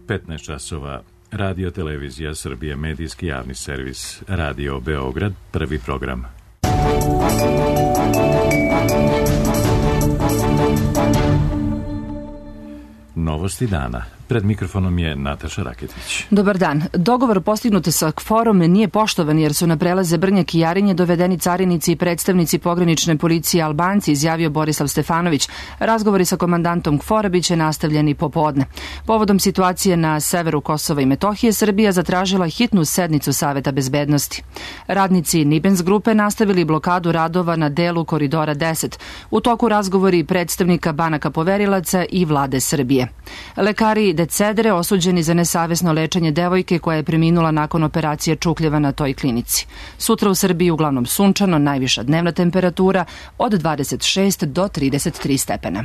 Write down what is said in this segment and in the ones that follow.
15 časova. Radio Televizija Srbije, medijski javni servis, Radio Beograd, prvi program. Novosti dana. Pred mikrofonom je Nataša Raketić. Dobar dan. Dogovor postignut sa KFOR-om nije poštovan jer su na prelaze Brnjak i Jarinje dovedeni carinici i predstavnici pogranične policije Albanci, izjavio Borislav Stefanović. Razgovori sa komandantom KFOR-a biće nastavljeni popodne. Povodom situacije na severu Kosova i Metohije, Srbija zatražila hitnu sednicu Saveta bezbednosti. Radnici Nibens grupe nastavili blokadu radova na delu Koridora 10. U toku razgovori predstavnika banaka poverilaca i vlade Srbije. Lekari Decedre osuđeni za nesavesno lečenje devojke koja je preminula nakon operacije čukljeva na toj klinici. Sutra u Srbiji uglavnom sunčano, najviša dnevna temperatura od 26 do 33 stepena.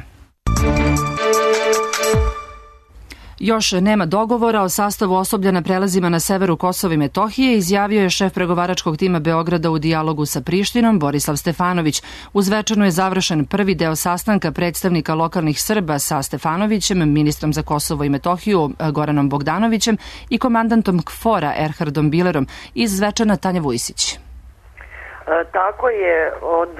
Još nema dogovora o sastavu osoblja na prelazima na severu Kosova i Metohije, izjavio je šef pregovaračkog tima Beograda u dijalogu sa Prištinom, Borislav Stefanović. U Zvečanu je završen prvi deo sastanka predstavnika lokalnih Srba sa Stefanovićem, ministrom za Kosovo i Metohiju Goranom Bogdanovićem i komandantom KFOR-a Erhardom Bilerom. Iz Zvečana Tanja Vujsić. Tako je, od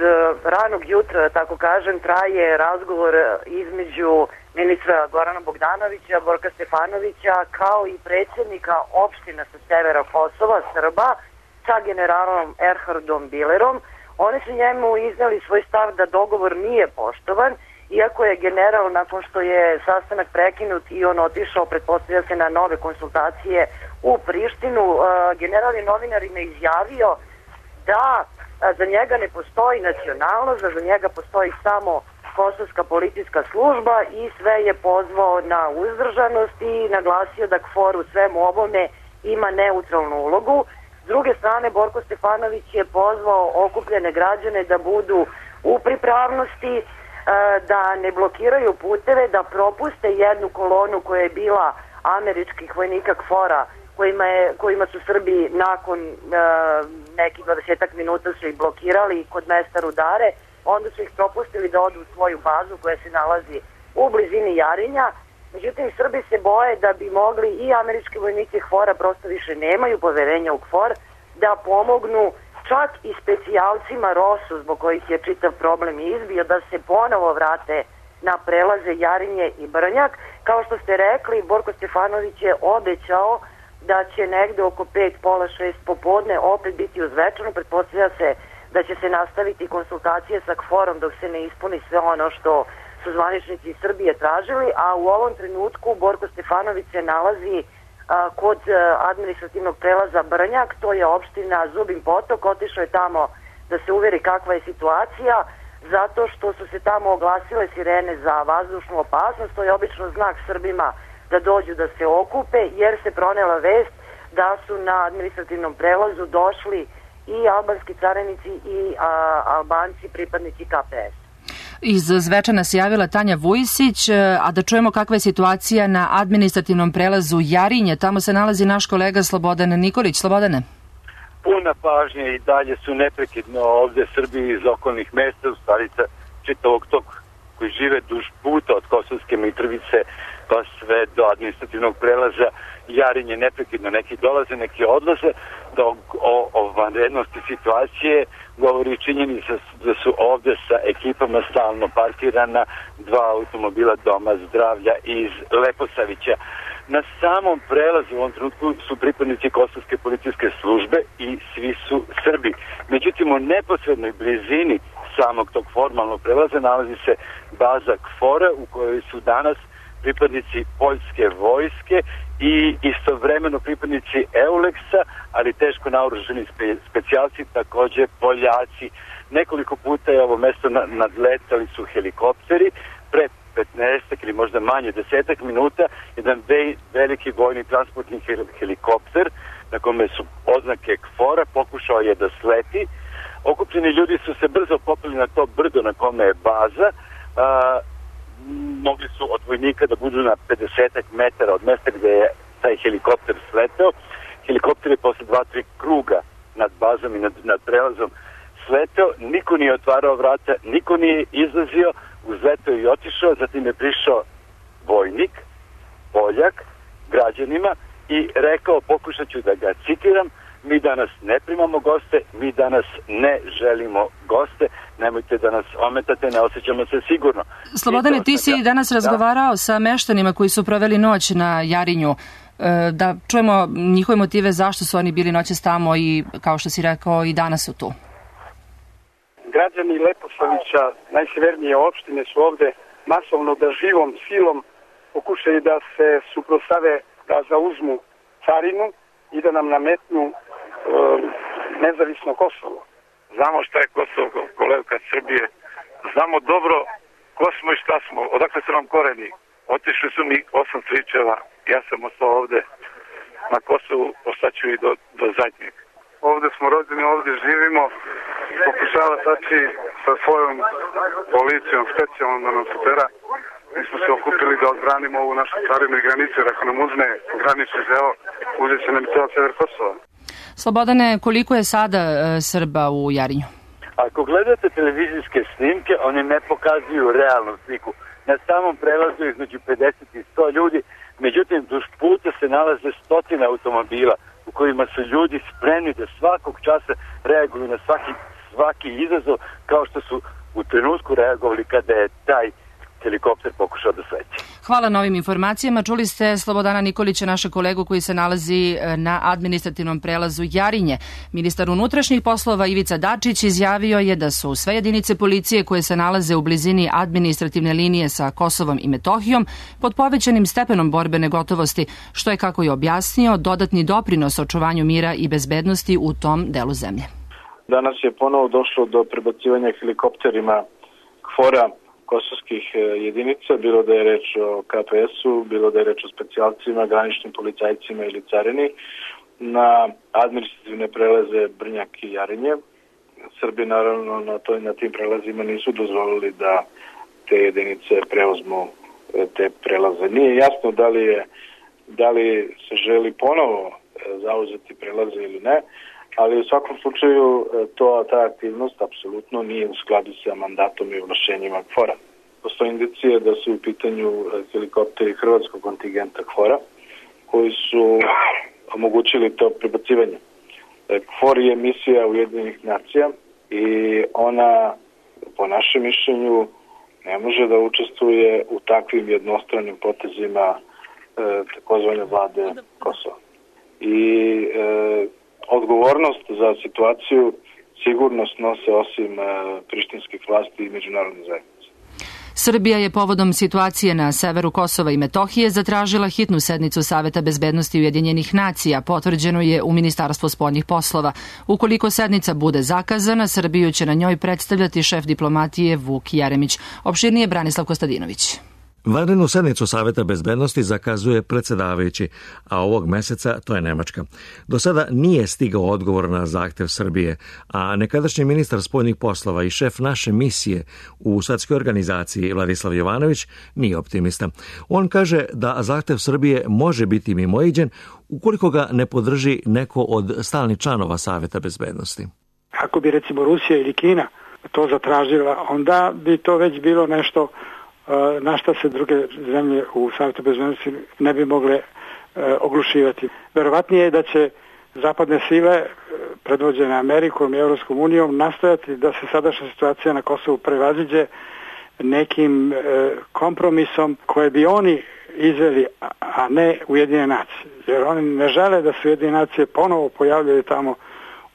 ranog jutra, tako kažem, traje razgovor između ministra Gorana Bogdanovića, Borka Stefanovića, kao i predsjednika opština sa severa Kosova, Srba, sa generalom Erhardom Bilerom. Oni su njemu iznali svoj stav da dogovor nije poštovan, iako je general, nakon što je sastanak prekinut i on otišao, pretpostavlja se, na nove konsultacije u Prištinu, general je novinarima izjavio da za njega ne postoji nacionalnost, da za njega postoji samo kosovska policijska služba i sve je pozvao na uzdržanost i naglasio da KFOR u svemu ovome ima neutralnu ulogu. S druge strane, Borko Stefanović je pozvao okupljene građane da budu u pripravnosti, da ne blokiraju puteve, da propuste jednu kolonu koja je bila američkih vojnika KFOR-a, kojima su Srbi nakon nekih 20 minuta su ih blokirali kod mesta Rudare. Onda su ih propustili da odu u svoju bazu koja se nalazi u blizini Jarinja. Međutim, Srbi se boje da bi mogli i američki vojnici KFOR-a, prosto više nemaju poverenja u KFOR, da pomognu čak i specijalcima ROSU, zbog kojih je čitav problem izbio, da se ponovo vrate na prelaze Jarinje i Brnjak. Kao što ste rekli, Borko Stefanović je obećao da će negde oko 5, pola 6 popodne opet biti u Zvečanu. Pretpostavlja se da će se nastaviti konsultacije sa KFOR-om dok se ne ispuni sve ono što su zvaničnici iz Srbije tražili, a u ovom trenutku Borko Stefanović se nalazi kod administrativnog prelaza Brnjak, to je opština Zubin Potok. Otišao je tamo da se uveri kakva je situacija, zato što su se tamo oglasile sirene za vazdušnu opasnost. To je obično znak Srbima da dođu da se okupe, jer se pronela vest da su na administrativnom prelazu došli i albanski carinici i Albanci, pripadnici KPS. Iz Zvečana se javila Tanja Vujsić, a da čujemo kakva je situacija na administrativnom prelazu Jarinje. Tamo se nalazi naš kolega Slobodan Nikolić. Slobodane. Puna pažnja i dalje su neprekidno ovde Srbi iz okolnih mesta, u stvari čitavog tog koji žive duž puta od Kosovske Mitrovice pa sve do administrativnog prelaza Jarinje neprekidno. Neki dolaze, neki odlaze. O vanrednosti situacije govori činjenica da su ovde sa ekipama stalno parkirana 2 automobila Doma zdravlja iz Leposavića. Na samom prelazu u ovom trenutku su pripadnici Kosovske policijske službe i svi su Srbi. Međutim, u neposrednoj blizini samog tog formalnog prelaza nalazi se baza KFOR-a u kojoj su danas pripadnici poljske vojske i istovremeno pripadnici EULEX-a, ali teško naoružani specijalci, takođe Poljaci. Nekoliko puta je ovo mesto nadletali su helikopteri. Pre 15 ili možda manje 10 minuta jedan veliki vojni transportni helikopter na kome su oznake KFOR-a pokušao je da sleti. Okupljeni ljudi su se brzo popeli na to brdo na kome je baza. Mogli su od vojnika da budu na 50 metara od mesta gde je taj helikopter sleteo. Helikopter je posle 2-3 kruga nad bazom i nad prelazom sleteo. Niko nije otvarao vrata, niko nije izlazio, uzleteo i otišao. Zatim je prišao vojnik, Poljak, građanima i rekao, pokušat ću da ga citiram: mi danas ne primamo goste, mi danas ne želimo goste, nemojte da nas ometate, ne osjećamo se sigurno. Slobodane, ti si danas razgovarao sa meštanima koji su proveli noć na Jarinju. Da čujemo njihove motive zašto su oni bili noćas tamo i, kao što si rekao, i danas su tu. Građani Leposavića, najsevernije opštine, su ovde masovno da živom silom pokušaju da se suprotstave, da zauzmu carinu i da nam nametnu nezavisno Kosovo. Znamo šta je Kosovo, kolevka Srbije. Znamo dobro ko smo i šta smo, odakle su nam koreni. Otišli su mi 8 stričeva, ja sam ostao ovde na Kosovu, ostaću i do zadnjeg. Ovde smo rođeni, ovde živimo, pokušava tači sa svojom policijom specijalno da nam supera. Mi smo se okupili da odbranimo ovu našu carinu i granicu, jer ako nam uzme granični deo, uzet će nam i ceo sever Kosova. Slobodane, koliko je sada Srba u Jarinju? Ako gledate televizijske snimke, oni ne pokazuju realnu sliku. Na samom prelazu između 50 i 100 ljudi, međutim, duž puta se nalaze stotine automobila u kojima su ljudi spremni da svakog časa reaguju na svaki izazov, kao što su u trenutku reagovali kada je taj helikopter pokušao da sleti. Hvala na ovim informacijama. Čuli ste Slobodana Nikolića, našeg kolegu koji se nalazi na administrativnom prelazu Jarinje. Ministar unutrašnjih poslova Ivica Dačić izjavio je da su sve jedinice policije koje se nalaze u blizini administrativne linije sa Kosovom i Metohijom pod povećanim stepenom borbene gotovosti, što je, kako je objasnio, dodatni doprinos očuvanju mira i bezbednosti u tom delu zemlje. Danas je ponovo došlo do prebacivanja helikopterima KFOR-a kosovskih jedinica, bilo da je reč o KPS-u, bilo da je reč o specijalcima, graničnim policajcima ili carini, na administrativne prelaze Brnjak i Jarinje. Srbi naravno na tim prelazima nisu dozvolili da te jedinice preuzmu te prelaze. Nije jasno da li se želi ponovo zauzeti prelaze ili ne, ali u svakom slučaju ta aktivnost apsolutno nije u skladu sa mandatom i ovlašćenjima KFOR-a. Postoje indicije da su u pitanju helikopteri hrvatskog kontingenta KFOR-a koji su omogućili to prebacivanje. KFOR je misija Ujedinjenih nacija i ona, po našem mišljenju, ne može da učestvuje u takvim jednostranim potezima takozvane vlade Kosova. I odgovornost za situaciju sigurno snose osim prištinskih vlasti i međunarodne zajednice. Srbija je povodom situacije na severu Kosova i Metohije zatražila hitnu sednicu Saveta bezbednosti Ujedinjenih nacija, potvrđeno je u Ministarstvu spoljnih poslova. Ukoliko sednica bude zakazana, Srbiju će na njoj predstavljati šef diplomatije Vuk Jeremić. Opširnije Branislav Kostadinović. Vanrednu sednicu Saveta bezbednosti zakazuje predsjedavajući, a ovog meseca to je Nemačka. Do sada nije stigao odgovor na zahtev Srbije, a nekadašnji ministar spoljnih poslova i šef naše misije u svetskoj organizaciji Vladislav Jovanović nije optimista. On kaže da zahtev Srbije može biti mimoiđen ukoliko ga ne podrži neko od stalnih članova Saveta bezbednosti. Ako bi recimo Rusija ili Kina to zatražila, onda bi to već bilo nešto na šta se druge zemlje u Savetu bezbednosti ne bi mogle oglušivati. Verovatnije je da će zapadne sile predvođene Amerikom i Evropskom unijom nastojati da se sadašnja situacija na Kosovu prevaziđe nekim kompromisom koje bi oni izveli, a ne Ujedinjene nacije. Jer oni ne žele da se Ujedinjene nacije ponovo pojavljaju tamo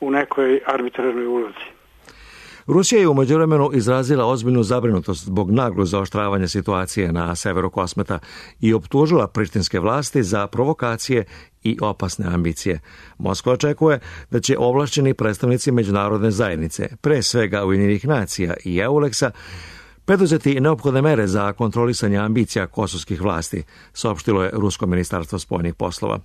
u nekoj arbitrarnoj ulozi. Rusija je u međuvremenu izrazila ozbiljnu zabrinutost zbog naglog zaoštravanja situacije na severu Kosmeta i optužila prištinske vlasti za provokacije i opasne ambicije. Moskva očekuje da će ovlašćeni predstavnici međunarodne zajednice, pre svega Ujedinjenih nacija i EULEX-a, preduzeti neophodne mere za kontrolisanje ambicija kosovskih vlasti, saopštilo je Rusko ministarstvo spoljnih poslova.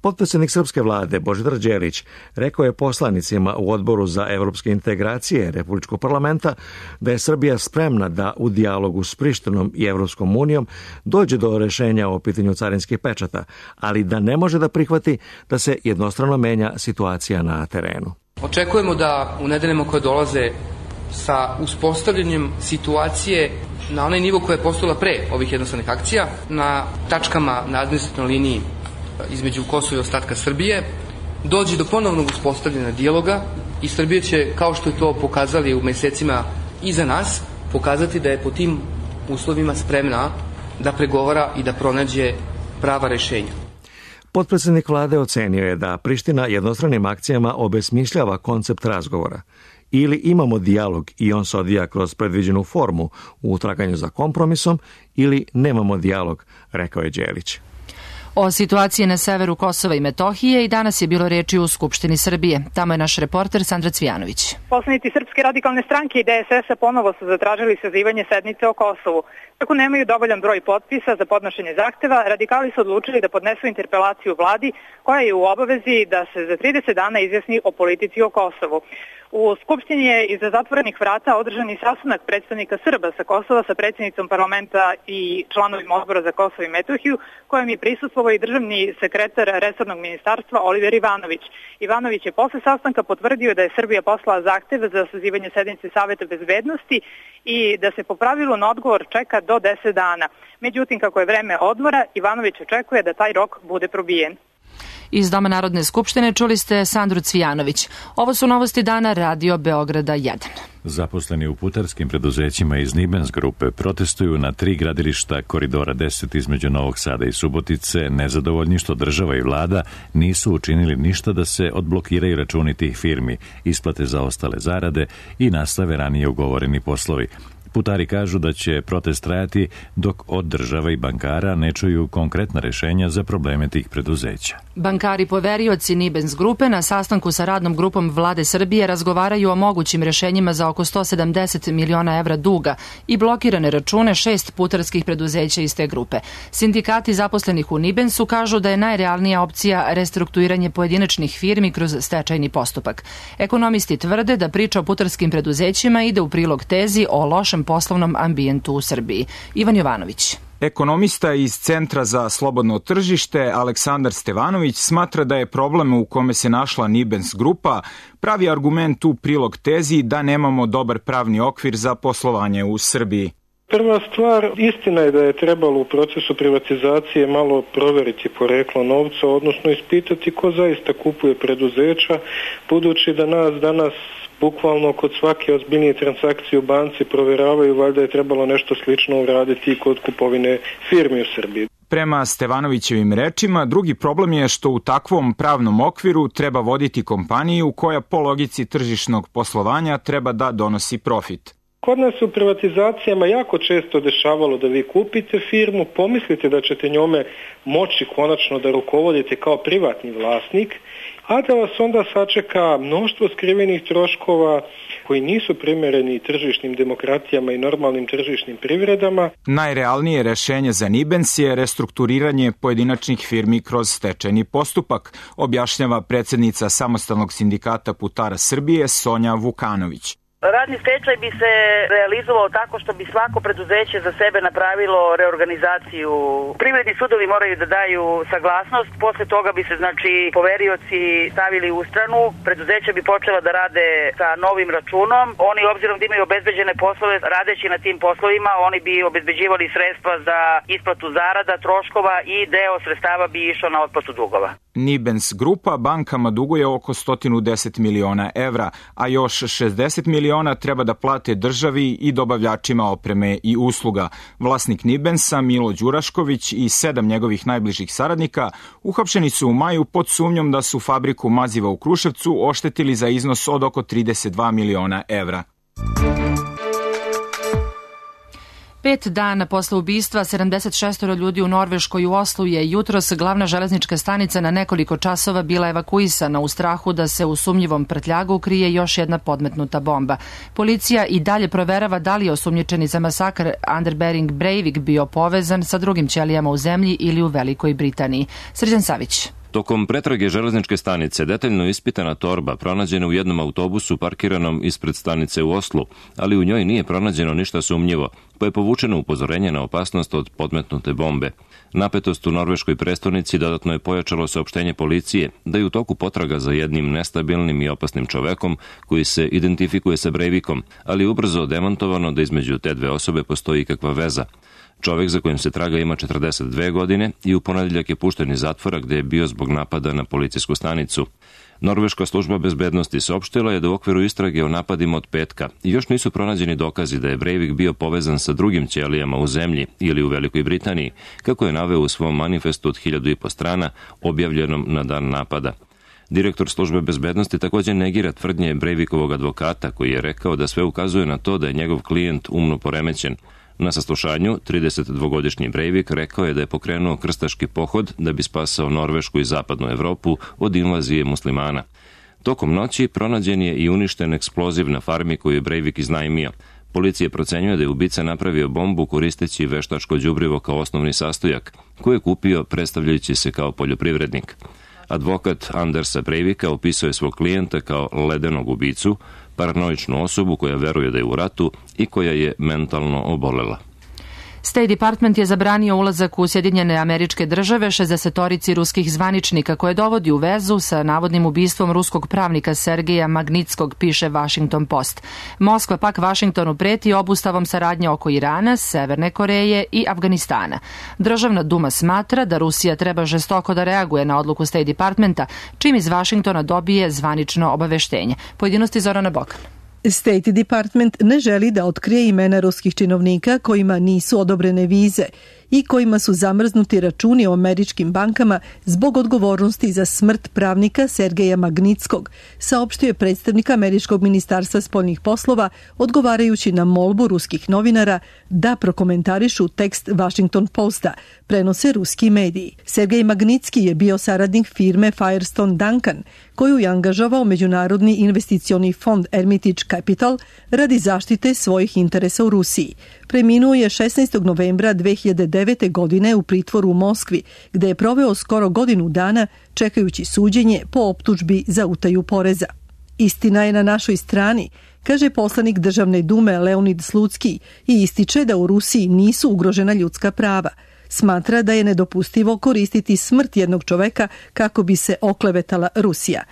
Potpredsjednik srpske vlade Božidar Đelić rekao je poslanicima u Odboru za evropske integracije Republičkog parlamenta da je Srbija spremna da u dijalogu s Prištinom i Evropskom unijom dođe do rešenja o pitanju carinskih pečata, ali da ne može da prihvati da se jednostrano menja situacija na terenu. Očekujemo da u nedeljama koje dolaze sa uspostavljanjem situacije na onaj nivo koja je postojala pre ovih jednostavnih akcija, na tačkama na administrativnoj liniji između Kosova i ostatka Srbije dođe do ponovnog uspostavljanja dijaloga i Srbija će, kao što je to pokazali u mesecima iza nas, pokazati da je po tim uslovima spremna da pregovara i da pronađe prava rešenja. Potpredsednik vlade ocenio je da Priština jednostranim akcijama obesmišljava koncept razgovora. Ili imamo dijalog i on se odvija kroz predviđenu formu u traganju za kompromisom, ili nemamo dijalog, rekao je Đelić. O situaciji na severu Kosova i Metohije i danas je bilo reči u Skupštini Srbije. Tamo je naš reporter Sandra Cvijanović. Poslanici Srpske radikalne stranke i DSS-a ponovo su zatražili sazivanje sednice o Kosovu. Kako nemaju dovoljan broj potpisa za podnošenje zahteva, radikali su odlučili da podnesu interpelaciju vladi koja je u obavezi da se za 30 dana izjasni o politici o Kosovu. U Skupštini je iza zatvorenih vrata održan i sastanak predstavnika Srba sa Kosova sa predsjednicom parlamenta i članovima odbora za Kosovo i Metohiju, kojem je prisustvovao i državni sekretar resornog ministarstva Oliver Ivanović. Ivanović je posle sastanka potvrdio da je Srbija poslala zahtev za sazivanje sednice Saveta bezbednosti i da se po pravilu na odgovor čeka do 10 dana. Međutim, kako je vreme odmora, Ivanović očekuje da taj rok bude probijen. Iz Doma Narodne skupštine čuli ste Sandru Cvijanović. Ovo su novosti dana Radio Beograda 1. Zaposleni u putarskim preduzećima iz Nibens grupe protestuju na 3 gradilišta koridora 10 između Novog Sada i Subotice, nezadovoljni što država i vlada nisu učinili ništa da se odblokiraju računi tih firmi, isplate zaostale zarade i nastave ranije ugovoreni poslovi. Putari kažu da će protest trajati dok od država i bankara ne čuju konkretna rešenja za probleme tih preduzeća. Bankari poverioci Nibens grupe na sastanku sa radnom grupom vlade Srbije razgovaraju o mogućim rešenjima za oko 170 miliona evra duga i blokirane račune 6 putarskih preduzeća iz te grupe. Sindikati zaposlenih u Nibensu kažu da je najrealnija opcija restrukturiranje pojedinačnih firmi kroz stečajni postupak. Ekonomisti tvrde da priča o putarskim preduzećima ide u prilog tezi o lošem poslovnom ambijentu u Srbiji. Ivan Jovanović. Ekonomista iz Centra za slobodno tržište Aleksandar Stevanović smatra da je problem u kome se našla Nibens grupa pravi argument u prilog tezi da nemamo dobar pravni okvir za poslovanje u Srbiji. Prva stvar, istina je da je trebalo u procesu privatizacije malo proveriti poreklo novca, odnosno ispitati ko zaista kupuje preduzeća, budući da nas danas bukvalno kod svake ozbiljnije transakcije u banci provjeravaju, valjda je trebalo nešto slično uraditi i kod kupovine firmi u Srbiji. Prema Stevanovićevim rečima, drugi problem je što u takvom pravnom okviru treba voditi kompaniju koja po logici tržišnog poslovanja treba da donosi profit. Kod nas u privatizacijama jako često dešavalo da vi kupite firmu, pomislite da ćete njome moći konačno da rukovodite kao privatni vlasnik, a da vas onda sačeka mnoštvo skrivenih troškova koji nisu primereni tržišnim demokratijama i normalnim tržišnim privredama. Najrealnije rešenje za Nibens je restrukturiranje pojedinačnih firmi kroz stečajni postupak, objašnjava predsjednica Samostalnog sindikata putara Srbije Sonja Vukanović. Radni stečaj bi se realizovao tako što bi svako preduzeće za sebe napravilo reorganizaciju. Privredni sudovi moraju da daju saglasnost, posle toga bi se poverioci stavili u stranu, preduzeća bi počela da rade sa novim računom. Oni obzirom da imaju obezbeđene poslove, radeći na tim poslovima, oni bi obezbeđivali sredstva za isplatu zarada, troškova i deo sredstava bi išao na otplatu dugova. Nibens grupa bankama duguje oko 110 miliona evra, a još 60 miliona treba da plate državi i dobavljačima opreme i usluga. Vlasnik Nibensa, Milo Đurašković i 7 njegovih najbližih saradnika uhapšeni su u maju pod sumnjom da su fabriku maziva u Kruševcu oštetili za iznos od oko 32 miliona evra. 5 dana posle ubistva 76 ljudi u Norveškoj u Oslu je jutros glavna železnička stanica na nekoliko časova bila evakuisana u strahu da se u sumnjivom prtljagu krije još jedna podmetnuta bomba. Policija i dalje proverava da li je osumnjičeni za masakr Anders Behring Breivik bio povezan sa drugim ćelijama u zemlji ili u Velikoj Britaniji. Srđan Savić. Tokom pretrage železničke stanice detaljno ispitana torba pronađena u jednom autobusu parkiranom ispred stanice u Oslu, ali u njoj nije pronađeno ništa sumnjivo. pa je povučeno upozorenje na opasnost od podmetnute bombe. Napetost u norveškoj prestonici dodatno je pojačalo saopštenje policije da je u toku potraga za jednim nestabilnim i opasnim čovekom koji se identifikuje sa Breivikom, ali ubrzo demantovano da između te dve osobe postoji ikakva veza. Čovek za kojim se traga ima 42 godine i u ponedeljak je pušten iz zatvora gde je bio zbog napada na policijsku stanicu. Norveška služba bezbednosti saopštila je da u okviru istrage o napadima od petka još nisu pronađeni dokazi da je Breivik bio povezan sa drugim ćelijama u zemlji ili u Velikoj Britaniji, kako je naveo u svom manifestu od 1500 strana objavljenom na dan napada. Direktor službe bezbednosti također negira tvrdnje Breivikovog advokata koji je rekao da sve ukazuje na to da je njegov klijent umno poremećen. Na saslušanju 32-godišnji Breivik rekao je da je pokrenuo krstaški pohod da bi spasao Norvešku i zapadnu Evropu od invazije muslimana. Tokom noći pronađen je i uništen eksploziv na farmi koju je Breivik iznajmio. Policija procenjuje da je ubica napravio bombu koristeći veštačko đubrivo kao osnovni sastojak, koje je kupio predstavljajući se kao poljoprivrednik. Advokat Andersa Breivika opisao je svog klijenta kao ledenog ubicu, paranoičnu osobu koja veruje da je u ratu i koja je mentalno obolela. State Department je zabranio ulazak u Sjedinjene Američke Države 60-torici ruskih zvaničnika koje dovodi u vezu sa navodnim ubistvom ruskog pravnika Sergeja Magnitskog, piše Washington Post. Moskva pak Vašingtonu preti obustavom saradnje oko Irana, Severne Koreje i Afganistana. Državna duma smatra da Rusija treba žestoko da reaguje na odluku State Departmenta, čim iz Vašingtona dobije zvanično obaveštenje. Pojedinosti Zorana Bokan. State Department ne želi da otkrije imena ruskih činovnika kojima nisu odobrene vize i kojima su zamrznuti računi u američkim bankama zbog odgovornosti za smrt pravnika Sergeja Magnitskog, saopštio je predstavnik Američkog ministarstva spoljnih poslova odgovarajući na molbu ruskih novinara da prokomentarišu tekst Washington Posta, prenose ruski mediji. Sergej Magnitski je bio saradnik firme Firestone Duncan, koju je angažovao Međunarodni investicioni fond Hermitage Capital radi zaštite svojih interesa u Rusiji. Preminuo je 16. novembra 2009. godine u pritvoru u Moskvi, gde je proveo skoro godinu dana čekajući suđenje po optužbi za utaju poreza. Istina je na našoj strani, kaže poslanik Državne dume Leonid Slutski i ističe da u Rusiji nisu ugrožena ljudska prava. Smatra da je nedopustivo koristiti smrt jednog čoveka kako bi se oklevetala Rusija.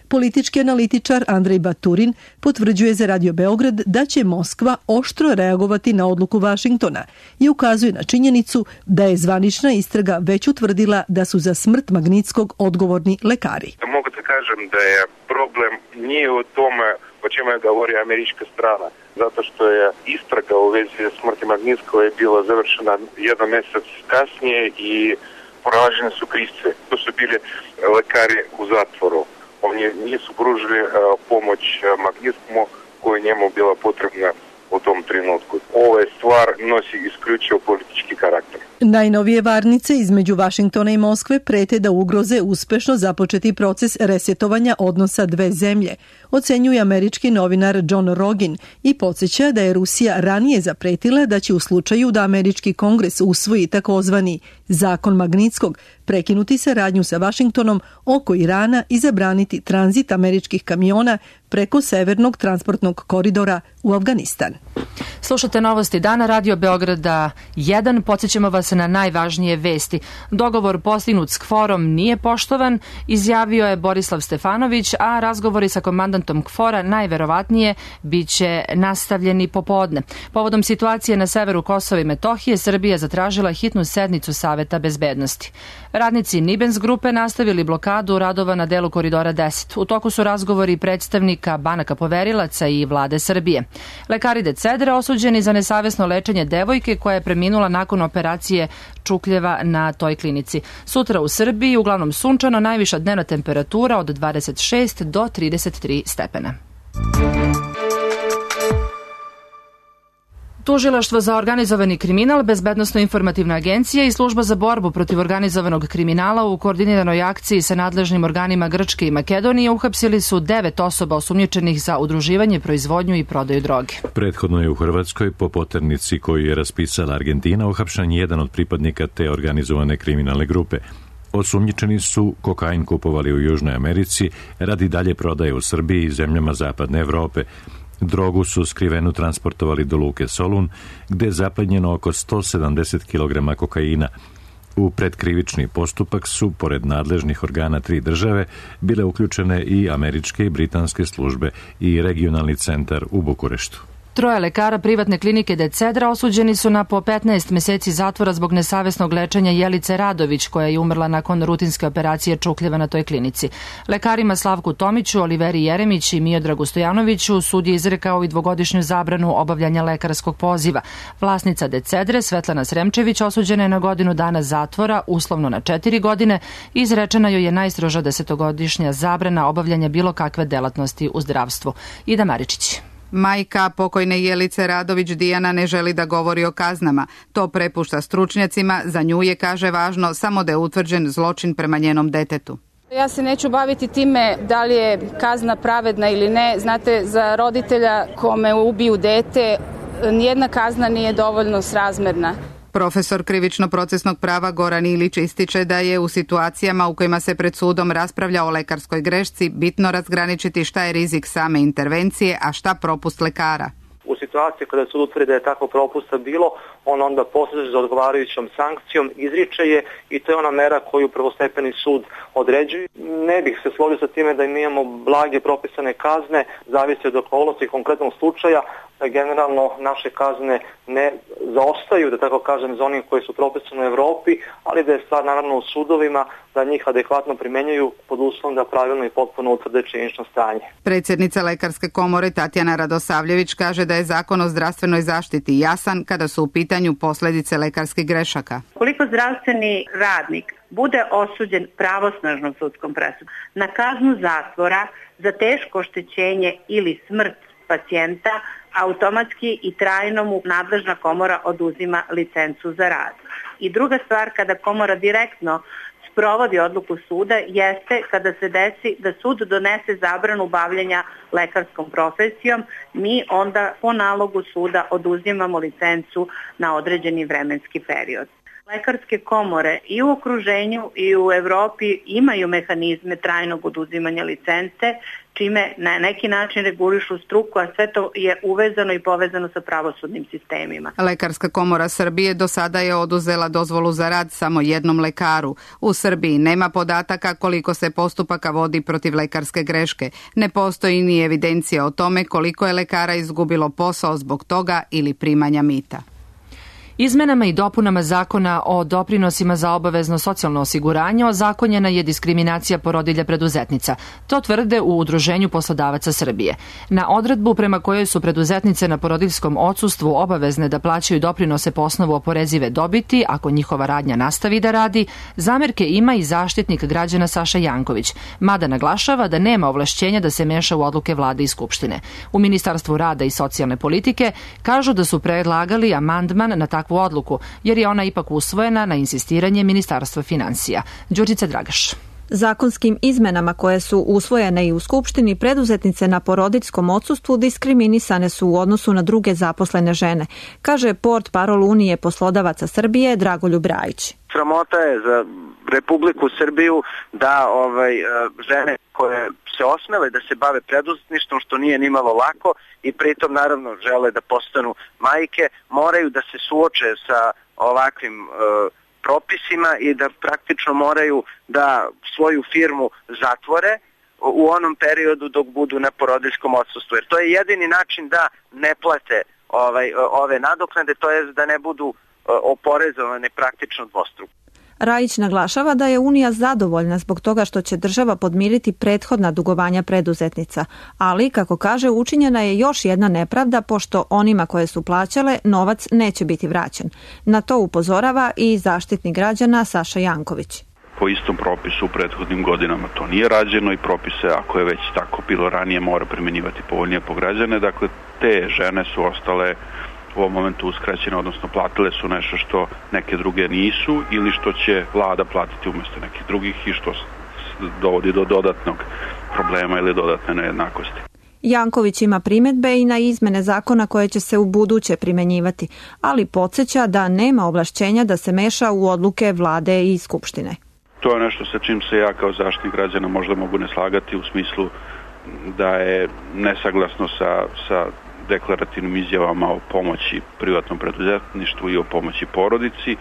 Politički analitičar Andrej Baturin potvrđuje za Radio Beograd da će Moskva oštro reagovati na odluku Vašingtona i ukazuje na činjenicu da je zvanična istraga već utvrdila da su za smrt Magnitskog odgovorni lekari. Mogu da kažem da je problem nije u tome o čemu je govori američka strana, zato što je istraga u vezi smrti Magnitskog je bila završena jedan mesec kasnije i pronađene su krivci. To su bili lekari u zatvoru. Oni nisu pružili pomoć Magnitskomu koja njemu bila potrebna u tom trenutku. Ova stvar nosi isključivo politički karakter. Najnovije varnice između Vašingtona i Moskve prete da ugroze uspešno započeti proces resetovanja odnosa dve zemlje, ocenjuje američki novinar John Rogin i podsjeća da je Rusija ranije zapretila da će u slučaju da američki kongres usvoji takozvani zakon Magnitskog prekinuti saradnju sa Vašingtonom oko Irana i zabraniti tranzit američkih kamiona preko severnog transportnog koridora u Afganistan. Slušate novosti dana Radio Beograda 1. Podsjećamo vas na najvažnije vesti. Dogovor postignut s KFOR-om nije poštovan, izjavio je Borislav Stefanović, a razgovori sa komandantom KFOR-a najverovatnije biće nastavljeni popodne. Povodom situacije na severu Kosova i Metohije, Srbija zatražila hitnu sednicu Saveta bezbednosti. Radnici Nibens grupe nastavili blokadu radova na delu koridora 10. U toku su razgovori predstavnika banaka poverilaca i vlade Srbije. Lekari Decedra osuđeni za nesavesno lečenje devojke koja je preminula nakon operacije čukljeva na toj klinici. Sutra u Srbiji uglavnom sunčano, najviša dnevna temperatura od 26 do 33 stepena. Tužilaštvo za organizovani kriminal, Bezbednosno-informativna agencija i Služba za borbu protiv organizovanog kriminala u koordiniranoj akciji sa nadležnim organima Grčke i Makedonije uhapsili su 9 osoba osumnjičenih za udruživanje, proizvodnju i prodaju droge. Prethodno je u Hrvatskoj po poternici koju je raspisala Argentina uhapšen jedan od pripadnika te organizovane kriminalne grupe. Osumnjičeni su kokain kupovali u Južnoj Americi radi dalje prodaje u Srbiji i zemljama Zapadne Evrope. Drogu su skrivenu transportovali do luke Solun, gde je zaplenjeno oko 170 kg kokaina. U predkrivični postupak su, pored nadležnih organa 3 države, bile uključene i američke i britanske službe i regionalni centar u Bukureštu. 3 lekara privatne klinike Decedra osuđeni su na po 15 meseci zatvora zbog nesavesnog lečenja Jelice Radović, koja je umrla nakon rutinske operacije čukljeva na toj klinici. Lekarima Slavku Tomiću, Oliveri Jeremić i Miodragu Stojanoviću sud je izrekao i 2-godišnju zabranu obavljanja lekarskog poziva. Vlasnica Decedre, Svetlana Sremčević, osuđena je na 1 godinu dana zatvora, uslovno na 4 godine, i izrečena joj je najstroža 10-godišnja zabrana obavljanja bilo kakve delatnosti u zdravstvu. Ida Maričić. Majka pokojne Jelice Radović Dijana ne želi da govori o kaznama. To prepušta stručnjacima, za nju je, kaže, važno samo da je utvrđen zločin prema njenom detetu. Ja se neću baviti time da li je kazna pravedna ili ne. Znate, za roditelja kome ubiju dete, nijedna kazna nije dovoljno srazmerna. Profesor krivično-procesnog prava Goran Ilić ističe da je u situacijama u kojima se pred sudom raspravlja o lekarskoj grešci bitno razgraničiti šta je rizik same intervencije, a šta propust lekara. U situaciji kada sud utvrdi da je takvo propusta bilo, on onda poseže za odgovarajućom sankcijom, izriče je i to je ona mera koju prvostepeni sud određuje. Ne bih se složio sa time da imamo blage propisane kazne, zavisi od okolnosti konkretnog slučaja. Generalno naše kazne ne zaostaju, da tako kažem, za onim koji su propisane u Evropi, ali da je stvar naravno u sudovima da njih adekvatno primenjuju pod uslovom da pravilno i potpuno utvrde činjenično stanje. Predsjednica Lekarske komore Tatjana Radosavljević kaže da je zakon o zdravstvenoj zaštiti jasan kada su u pitanju posljedice lekarskih grešaka. Koliko zdravstveni radnik bude osuđen pravosnažnom sudskom presudom na kaznu zatvora za teško oštećenje ili smrt pacijenta, automatski i trajno mu nadležna komora oduzima licencu za rad. I druga stvar, kada komora direktno sprovodi odluku suda, jeste kada se desi da sud donese zabranu bavljenja lekarskom profesijom, mi onda po nalogu suda oduzimamo licencu na određeni vremenski period. Lekarske komore i u okruženju i u Evropi imaju mehanizme trajnog oduzimanja licence, čime na neki način regulišu struku, a sve to je uvezano i povezano sa pravosudnim sistemima. Lekarska komora Srbije do sada je oduzela dozvolu za rad samo jednom lekaru. U Srbiji nema podataka koliko se postupaka vodi protiv lekarske greške. Ne postoji ni evidencija o tome koliko je lekara izgubilo posao zbog toga ili primanja mita. Izmenama i dopunama zakona o doprinosima za obavezno socijalno osiguranje ozakonjena je diskriminacija porodilja preduzetnica. To tvrde u Udruženju poslodavaca Srbije. Na odredbu prema kojoj su preduzetnice na porodiljskom odsustvu obavezne da plaćaju doprinose po osnovu oporezive dobiti, ako njihova radnja nastavi da radi, zamerke ima i zaštitnik građana Saša Janković, mada naglašava da nema ovlašćenja da se meša u odluke vlade i skupštine. U Ministarstvu rada i socijalne politike kažu da su predlagali amandman na takvu odluku, jer je ona ipak usvojena na insistiranje Ministarstva finansija. Đurđica Dragaš. Zakonskim izmenama koje su usvojene i u Skupštini, preduzetnice na porodiljskom odsustvu diskriminisane su u odnosu na druge zaposlene žene, kaže portparol Unije poslodavaca Srbije Dragoljub Rajić. Sramota je za Republiku Srbiju da žene koje se osmele da se bave preduzetništvom, što nije nimalo lako i pritom naravno žele da postanu majke, moraju da se suoče sa ovakvim propisima i da praktično moraju da svoju firmu zatvore u onom periodu dok budu na porodiljskom odsustvu. Jer to je jedini način da ne plate ove nadoknade, to je da ne budu oporezovane praktično dvostruko. Rajić naglašava da je Unija zadovoljna zbog toga što će država podmiriti prethodna dugovanja preduzetnica, ali, kako kaže, učinjena je još jedna nepravda pošto onima koje su plaćale novac neće biti vraćen. Na to upozorava i zaštitnik građana Saša Janković. Po istom propisu u prethodnim godinama to nije rađeno i propise, ako je već tako bilo ranije, mora primjenjivati povoljnije po građane. Dakle, te žene su ostale u ovom momentu uskraćene, odnosno platile su nešto što neke druge nisu ili što će vlada platiti umjesto nekih drugih i što dovodi do dodatnog problema ili dodatne nejednakosti. Janković ima primjedbe i na izmene zakona koje će se u buduće primjenjivati, ali podsjeća da nema ovlašćenja da se meša u odluke vlade i skupštine. To je nešto sa čim se ja kao zaštitnik građana možda mogu ne slagati u smislu da je nesaglasno sa deklarativnim izjavama o pomoći privatnom preduzetništvu i o pomoći porodici.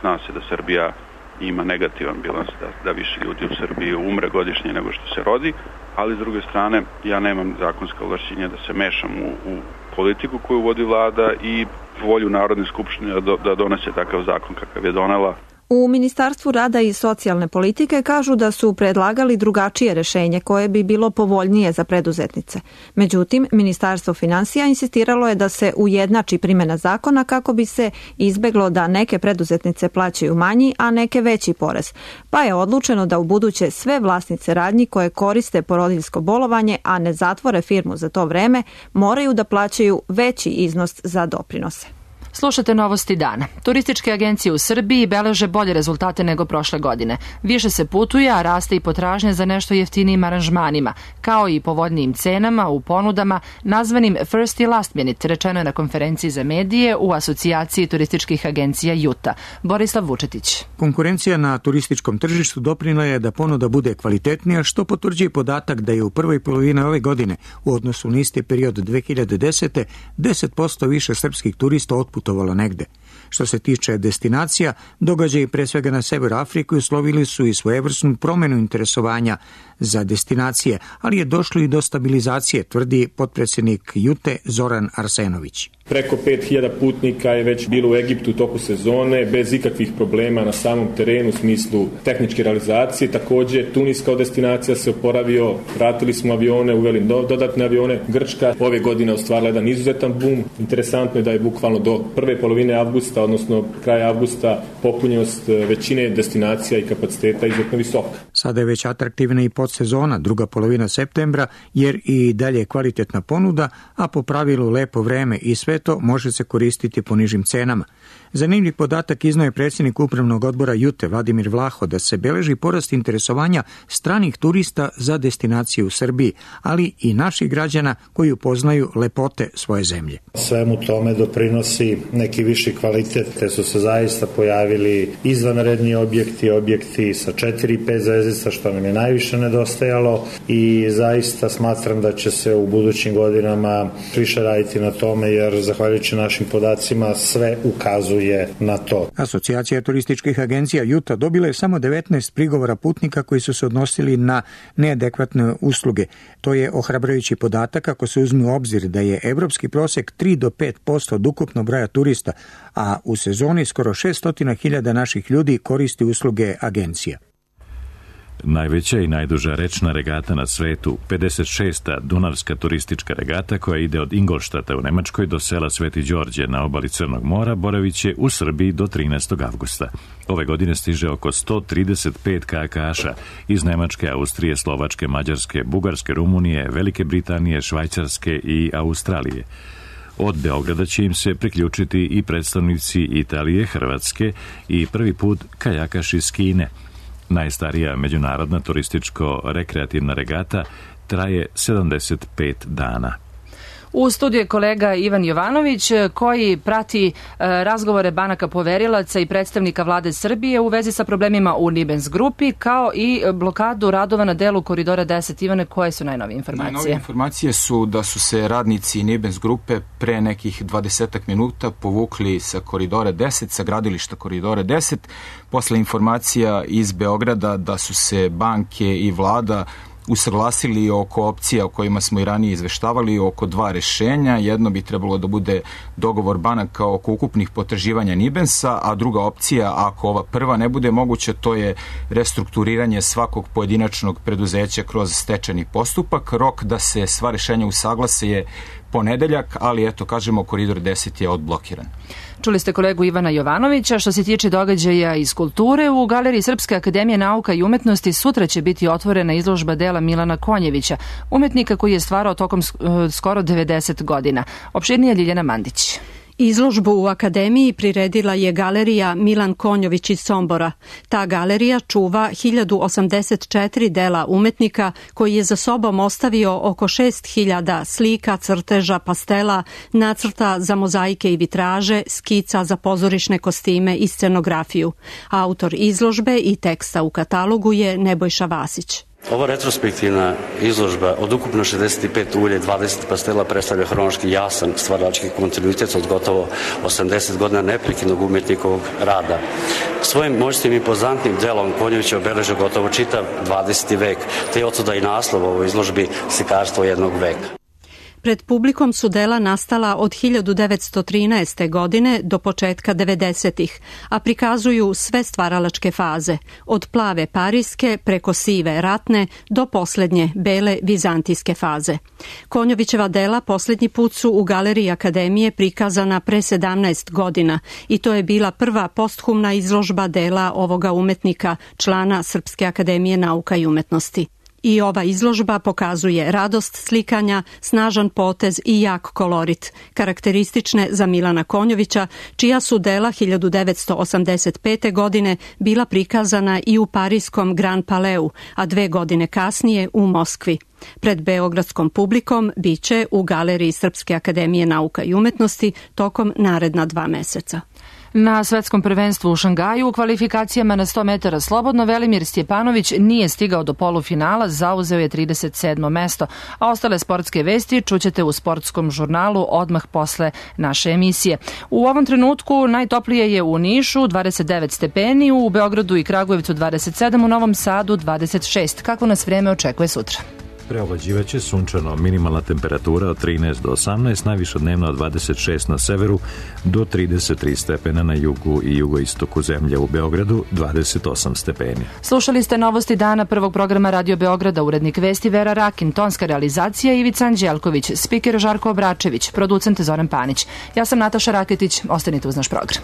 Zna se da Srbija ima negativan bilans, da više ljudi u Srbiji umre godišnje nego što se rodi, ali s druge strane ja nemam zakonska ovlašćenja da se mešam u politiku koju vodi vlada i volju Narodne skupštine da donese takav zakon kakav je donela. U Ministarstvu rada i socijalne politike kažu da su predlagali drugačije rešenje koje bi bilo povoljnije za preduzetnice. Međutim, Ministarstvo finansija insistiralo je da se ujednači primjena zakona kako bi se izbeglo da neke preduzetnice plaćaju manji, a neke veći porez. Pa je odlučeno da ubuduće sve vlasnice radnji koje koriste porodiljsko bolovanje, a ne zatvore firmu za to vreme, moraju da plaćaju veći iznos za doprinose. Slušate novosti dana. Turističke agencije u Srbiji beleže bolje rezultate nego prošle godine. Više se putuje, a raste i potražnja za nešto jeftinijim aranžmanima, kao i povoljnijim cenama u ponudama nazvanim First i Last Minute, rečeno je na konferenciji za medije u Asocijaciji turističkih agencija Juta. Borislav Vučetić. Konkurencija na turističkom tržištu doprinela je da ponuda bude kvalitetnija, što potvrđuje podatak da je u prvoj polovini ove godine u odnosu na isti period 2010. 10% više srpskih turista otputovalo negde. Što se tiče destinacija, događaji pre svega na severu Afrike uslovili su i svojevrsnu promenu interesovanja za destinacije, ali je došlo i do stabilizacije, tvrdi potpredsjednik Jute Zoran Arsenović. Preko 5000 putnika je već bilo u Egiptu u toku sezone, bez ikakvih problema na samom terenu u smislu tehničke realizacije. Također, Tunis kao destinacija se oporavio, vratili smo avione, uveli dodatne avione. Grčka ove godine ostvarila jedan izuzetan bum. Interesantno je da je bukvalno do prve polovine avgusta, odnosno kraja avgusta, popunjenost većine destinacija i kapaciteta izuzetno visoka. Sada je već atraktivna i podsezona, druga polovina septembra, jer i dalje je kvalitetna ponuda, a po pravilu lepo vreme i sve to može se koristiti po nižim cenama. Zanimljiv podatak iznao je predsjednik upravnog odbora Jute Vladimir Vlaho da se beleži porast interesovanja stranih turista za destinacije u Srbiji, ali i naših građana koji upoznaju lepote svoje zemlje. Svemu tome doprinosi neki viši kvalitet, te su se zaista pojavili izvanredni objekti sa 4 i 5 zvezdica, što nam je najviše nedostajalo, i zaista smatram da će se u budućim godinama više raditi na tome, jer zahvaljujući našim podacima sve ukazuje na to. Asocijacija turističkih agencija Juta dobila je samo 19 prigovora putnika koji su se odnosili na neadekvatne usluge. To je ohrabrujući podatak ako se uzme u obzir da je evropski prosek 3 do 5% od ukupnog broja turista, a u sezoni skoro 600.000 naših ljudi koristi usluge agencija. Najveća i najduža rečna regata na svetu, 56. Dunavska turistička regata koja ide od Ingolštata u Nemačkoj do sela Sveti Đorđe na obali Crnog mora, boravit će u Srbiji do 13. avgusta. Ove godine stiže oko 135 kajakaša iz Nemačke, Austrije, Slovačke, Mađarske, Bugarske, Rumunije, Velike Britanije, Švajcarske i Australije. Od Beograda će im se priključiti i predstavnici Italije, Hrvatske i prvi put kajakaš iz Kine. Najstarija međunarodna turističko-rekreativna regata traje 75 dana. U studiju je kolega Ivan Jovanović koji prati razgovore banaka poverilaca i predstavnika vlade Srbije u vezi sa problemima u Nibens grupi, kao i blokadu radova na delu koridora 10. Ivane, koje su najnovije informacije? Najnovije informacije su da su se radnici Nibens grupe pre nekih 20 minuta povukli sa koridora 10, sa gradilišta koridora 10, posle informacija iz Beograda da su se banke i vlada usaglasili oko opcija o kojima smo i ranije izveštavali, oko dva rešenja. Jedno bi trebalo da bude dogovor banaka oko ukupnih potraživanja Nibensa, a druga opcija, ako ova prva ne bude moguća, to je restrukturiranje svakog pojedinačnog preduzeća kroz stečajni postupak. Rok da se sva rešenja usaglase je ponedeljak, ali eto, kažemo, koridor 10 je odblokiran. Čuli ste kolegu Ivana Jovanovića. Što se tiče događaja iz kulture, u Galeriji Srpske akademije nauka i umetnosti sutra će biti otvorena izložba dela Milana Konjevića, umetnika koji je stvarao tokom skoro 90 godina. Opširnije Ljiljana Mandić. Izložbu u akademiji priredila je galerija Milan Konjović iz Sombora. Ta galerija čuva 1084 dela umetnika koji je za sobom ostavio oko 6000 slika, crteža, pastela, nacrta za mozaike i vitraže, skica za pozorišne kostime i scenografiju. Autor izložbe i teksta u katalogu je Nebojša Vasić. Ova retrospektivna izložba od ukupno 65 ulje, 20 pastela predstavlja hronološki jasan stvarački kontinuitet od gotovo 80 godina neprekidnog umetnikovog rada. Svojim moćnim i impozantnim delom Konjović je obeležio gotovo čitav 20. vek, te je otuda i naslov ovoj izložbi Slikarstvo jednog veka. Pred publikom su dela nastala od 1913. godine do početka 90-ih, a prikazuju sve stvaralačke faze, od plave parijske preko sive ratne do poslednje bele vizantijske faze. Konjovićeva dela posljednji put su u Galeriji Akademije prikazana pre 17 godina i to je bila prva posthumna izložba dela ovoga umetnika, člana Srpske akademije nauka i umetnosti. I ova izložba pokazuje radost slikanja, snažan potez i jak kolorit, karakteristične za Milana Konjovića, čija su dela 1985. godine bila prikazana i u parijskom Grand Palais, a 2 godine kasnije u Moskvi. Pred beogradskom publikom biće u Galeriji Srpske akademije nauka i umetnosti tokom naredna 2 meseca. Na svetskom prvenstvu u Šangaju u kvalifikacijama na 100 metara slobodno Velimir Stjepanović nije stigao do polufinala, zauzeo je 37. mesto, a ostale sportske vesti čućete u sportskom žurnalu odmah posle naše emisije. U ovom trenutku najtoplije je u Nišu 29 stepeni, u Beogradu i Kragujevcu 27, u Novom Sadu 26. Kako nas vreme očekuje sutra? Preovlađivaće sunčano, minimalna temperatura od 13 do 18, najviša dnevna od 26 na severu do 33 stepena na jugu i jugoistoku zemlje, u Beogradu 28 stepeni. Slušali ste novosti dana prvog programa Radio Beograda, urednik vesti Vera Rakin, tonska realizacija Ivica Anđelković, spiker Žarko Obračević, producent Zoran Panić. Ja sam Nataša Raketić, ostanite uz naš program.